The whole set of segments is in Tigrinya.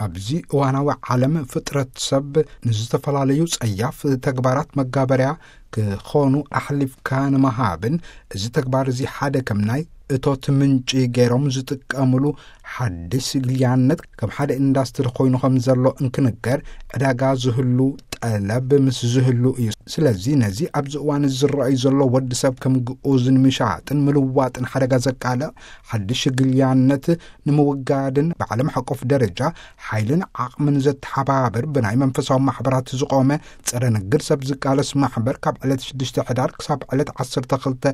ኣብዚ እዋናዊ ዓለም ፍጥረት ሰብ ንዝተፈላለዩ ጸያፍ ተግባራት መጋበርያ ክኾኑ ኣሕሊፍካ ንምሃብን፣ እዚ ተግባር እዚ ሓደ ከም ናይ እቶት ምንጪ ገይሮም ዝጥቀምሉ ሓድሽ ግልያነት ከም ሓደ ኢንዳስትሪ ኮይኑ ከም ዘሎ እንክንገር፣ ዕዳጋ ዝህሉ ጠለብ ምስ ዝህሉ እዩ። ስለዚ ነዚ ኣብዚ እዋን ዝረኣዩ ዘሎ ወዲ ሰብ ከም ግኡዝን ምሻጥን ምልዋጥን ሓደጋ ዘቃልዕ ሓድሽ ግልያነት ንምውጋድን ብዓለም ሓቆፍ ደረጃ ሓይልን ዓቕምን ዘተሓባብር ብናይ መንፈሳዊ ማሕበራት ዝቖመ ጸረ ንግድ ሰብ ዝቃለስ ማሕበር ካብ ዕለት ሽዱሽተ ሕዳር ክሳብ ዕለት ዓሰርተ ክልተ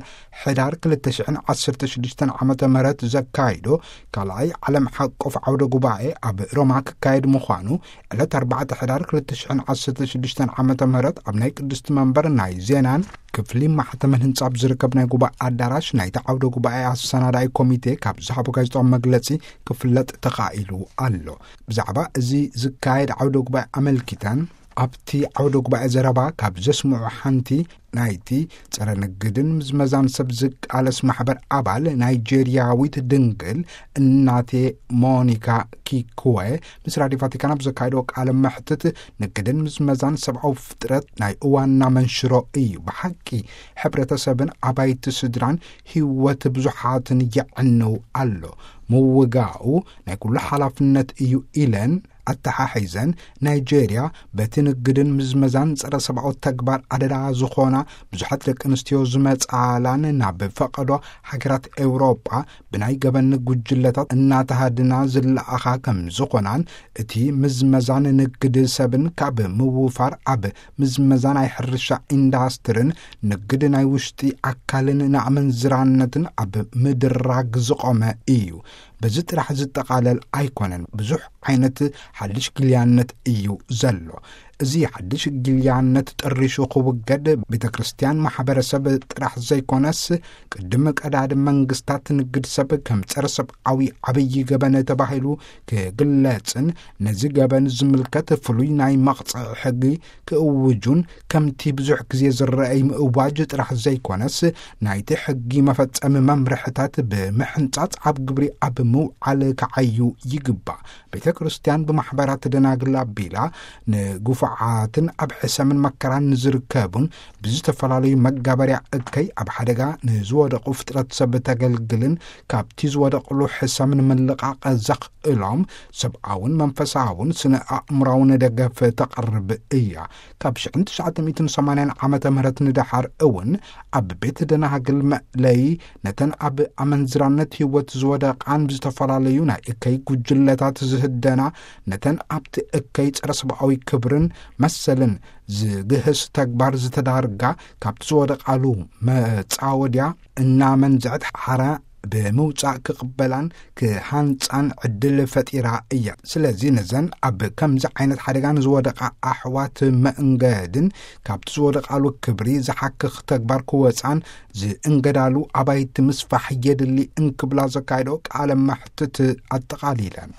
ሕዳር ክልተ ሽሕን ዓሰርተ ሽዱሽተን ዓመተ ምህረት ዘካይዶ ካልኣይ ዓለም ሓቆፍ ዓውደ ጉባኤ ኣብ ሮማ ክካየድ ምዃኑ ዕለት ኣርባዕተ ሕዳር ክልተ ሽሕን ዓሰርተ ሽዱሽተን ዓመተ ምህረት ኣብ ናይ ቅድስቲ መንበር ናይ ዜናን ክፍሊ ማሕተምን ህንጻ ኣብ ዝርከብ ናይ ጉባኤ ኣዳራሽ ናይቲ ዓውደ ጉባኤ ኣሰናዳኢ ኮሚቴ ካብ ዝሃቦ ጋዜጣዊ መግለጺ ክፍለጥ ተኻኢሉ ኣሎ። ብዛዕባ እዚ ዝካየድ ዓውደ ጉባኤ ኣመልኪተን ኣብቲ ዓውደ ጉባኤ ዘረባ ካብ ዘስምዑ ሓንቲ ናይቲ ጸረ ንግድን ምዝመዛን ሰብ ዝቃለስ ማሕበር ኣባል ናይጄርያዊት ድንግል እናቴ ሞኒካ ኪኩወ ምስ ራድዮ ቫቲካን ኣብ ዘካየዶ ቃለ መሕትት፣ ንግድን ምዝመዛን ሰብኣዊ ፍጥረት ናይ እዋንና መንሽሮ እዩ። ብሓቂ ሕብረተሰብን ኣባይቲ ስድራን ህይወት ብዙሓትን የዕንው ኣሎ። ምውጋኡ ናይ ኩሉ ሓላፍነት እዩ ኢለን ኣተሓሒዘን፣ ናይጄርያ በቲ ንግድን ምዝመዛን ጸረ ሰብኣዊ ተግባር ኣደዳ ዝኾና ብዙሓት ደቂ ኣንስትዮ ዝመጻላን ናብ ፈቐዶ ሃገራት ኤውሮጳ ብናይ ገበን ጉጅለታት እናተሃድና ዝለኣኻ ከም ዝኾናን፣ እቲ ምዝመዛን ንግድ ሰብን ካብ ምውፋር ኣብ ምዝመዛ ናይ ሕርሻ ኢንዳስትርን ንግድ ናይ ውሽጢ ኣካልን ንኣመንዝራነትን ኣብ ምድራግ ዝቖመ እዩ። በዚ ጥራሕ ዝጠቓለል ኣይኮነን። ብዙሕ ዓይነት ሓድሽ ግልያነት እዩ ዘሎ። እዚ ሓድሽ ግልያነት ጠሪሹ ክውገድ ቤተ ክርስቲያን ማሕበረሰብ ጥራሕ ዘይኮነስ ቅድሚ ቀዳድም መንግስታት ንግድ ሰብ ከም ጸረ ሰብኣዊ ዓብዪ ገበን ተባሂሉ ክግለጽን ነዚ ገበን ዝምልከት ፍሉይ ናይ መቕጽዒ ሕጊ ክእውጁን ከምቲ ብዙሕ ግዜ ዝረኣይ ምእዋጅ ጥራሕ ዘይኮነስ ናይቲ ሕጊ መፈጸሚ መምርሕታት ብምሕንጻጽ ኣብ ግብሪ ኣብ ምውዓል ክዓዩ ይግባእ። ቤተ ክርስቲያን ብማሕበራት ደናግል ኣቢላ ንግፉዓትን ኣብ ሕሰምን መከራን ንዝርከቡን ብዝተፈላለዩ መጋበርያ እከይ ኣብ ሓደጋ ንዝወደቑ ፍጥረት ሰብ ተገልግልን ካብቲ ዝወደቕሉ ሕሰም ንምልቓቕ ዘኽእሎም ሰብኣውን መንፈሳውን ስነ ኣእምራውን ደገፍ ተቕርብ እያ። ካብ ሽሕን ትሽዓተ ሚእትን ሰማንያን ዓመተ ምህረት ንደሓር እውን ኣብ ቤት ደናግል መእለይ ነተን ኣብ ኣመንዝራነት ህይወት ዝወደቓን ብዝተፈላለዩ ናይ እከይ ጉጅለታት ዝህደና ነተን ኣብቲ እከይ ጸረ ሰብኣዊ ክብርን መሰልን ዝግህስ ተግባር ዝተዳርጋ ካብቲ ዝወደቓሉ መጻወድያ እናመንዝዐት ሓራ ብምውጻእ ክቕበላን ክሃንጻን ዕድል ፈጢራ እያ። ስለዚ ነዘን ኣብ ከምዚ ዓይነት ሓደጋ ንዝወደቓ ኣሕዋት መእንገድን ካብቲ ዝወደቓሉ ክብሪ ዝሓክኽ ተግባር ክወጻን ዝእንገዳሉ ኣባይቲ ምስፋሕ የድሊ እንክብላ ዘካየዶ ቃለ መሕትት ኣጠቓሊለን።